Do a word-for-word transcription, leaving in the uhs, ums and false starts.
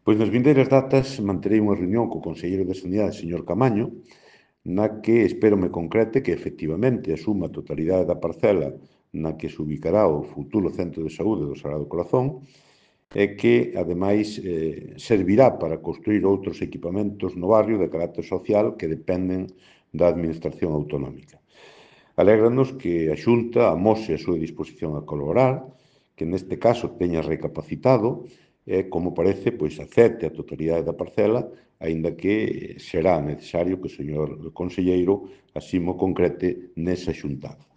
Pois nas vindeiras datas manterei unha reunión co conselleiro de Sanidade, señor Camaño, na que espero me concrete que efectivamente asuma a totalidade da parcela na que se ubicará o futuro centro de saúde do Sagrado Corazón e que, ademais, eh, servirá para construir outros equipamentos no barrio de carácter social que dependen da Administración autonómica. Alégranos que a Xunta amose a súa disposición a colaborar, que neste caso teña recapacitado e, como parece, pois acepte a totalidade da parcela, aínda que será necesario que o señor conselleiro así mo concrete nesa xuntada.